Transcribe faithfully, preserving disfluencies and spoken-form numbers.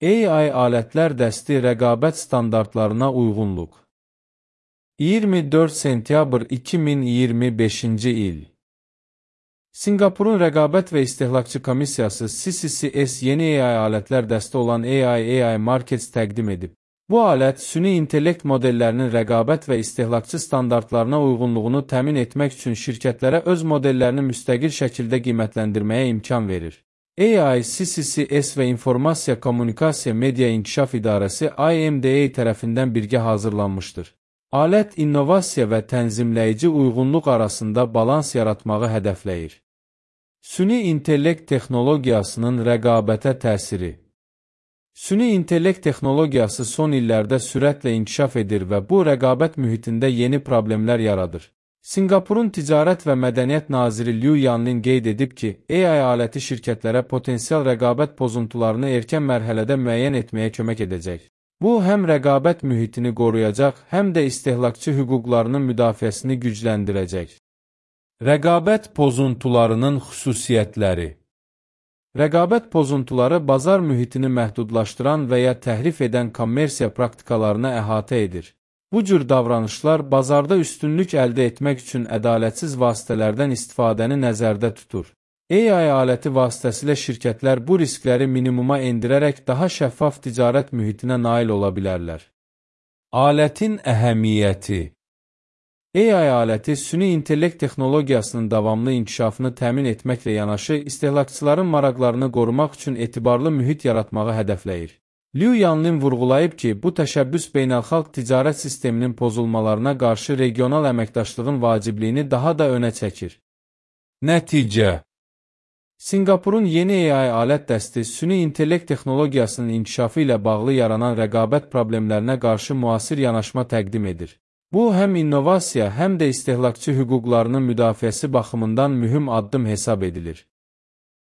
A I alətlər dəsti rəqabət standartlarına uyğunluq. iyirmi dörd sentyabr iki min iyirmi beşinci il. Sinqapurun Rəqabət və İstehlakçı Komissiyası C C C S yeni A I alətlər dəsti olan A I A I Markets təqdim edib. Bu alət, süni intellekt modellərinin rəqabət və istehlakçı standartlarına uyğunluğunu təmin etmək üçün şirkətlərə öz modellərini müstəqil şəkildə qiymətləndirməyə imkan verir. A I, C C C S və İnformasiya Kommunikasiya Media İnkişaf İdarəsi I M D A tərəfindən birgə hazırlanmışdır. Alət, innovasiya və tənzimləyici uyğunluq arasında balans yaratmağı hədəfləyir. Süni intellekt texnologiyasının rəqabətə təsiri. Süni intellekt texnologiyası son illərdə sürətlə inkişaf edir və bu rəqabət mühitində yeni problemlər yaradır. Sinqapurun Ticarət və Mədəniyyət naziri Liu Yanlin qeyd edib ki, A I aləti şirkətlərə potensial rəqabət pozuntularını erkən mərhələdə müəyyən etməyə kömək edəcək. Bu, həm rəqabət mühitini qoruyacaq, həm də istehlakçı hüquqlarının müdafiəsini gücləndirəcək. Rəqabət pozuntularının xüsusiyyətləri. Rəqabət pozuntuları bazar mühitini məhdudlaşdıran və ya təhrif edən kommersiya praktikalarına əhatə edir. Bu cür davranışlar bazarda üstünlük əldə etmək üçün ədalətsiz vasitələrdən istifadəni nəzərdə tutur. A I aləti vasitəsilə şirkətlər bu riskləri minimuma endirərək daha şəffaf ticarət mühitinə nail ola bilərlər. Alətin əhəmiyyəti. A I aləti süni intellekt texnologiyasının davamlı inkişafını təmin etməklə yanaşı, istehlakçıların maraqlarını qorumaq üçün etibarlı mühit yaratmağı hədəfləyir. Liu Yanlin vurğulayıb ki, bu təşəbbüs beynəlxalq ticarət sisteminin pozulmalarına qarşı regional əməkdaşlığın vacibliyini daha da önə çəkir. Nəticə. Sinqapurun yeni A I alət dəsti süni intellekt texnologiyasının inkişafı ilə bağlı yaranan rəqabət problemlərinə qarşı müasir yanaşma təqdim edir. Bu, həm innovasiya, həm də istehlakçı hüquqlarının müdafiəsi baxımından mühüm addım hesab edilir.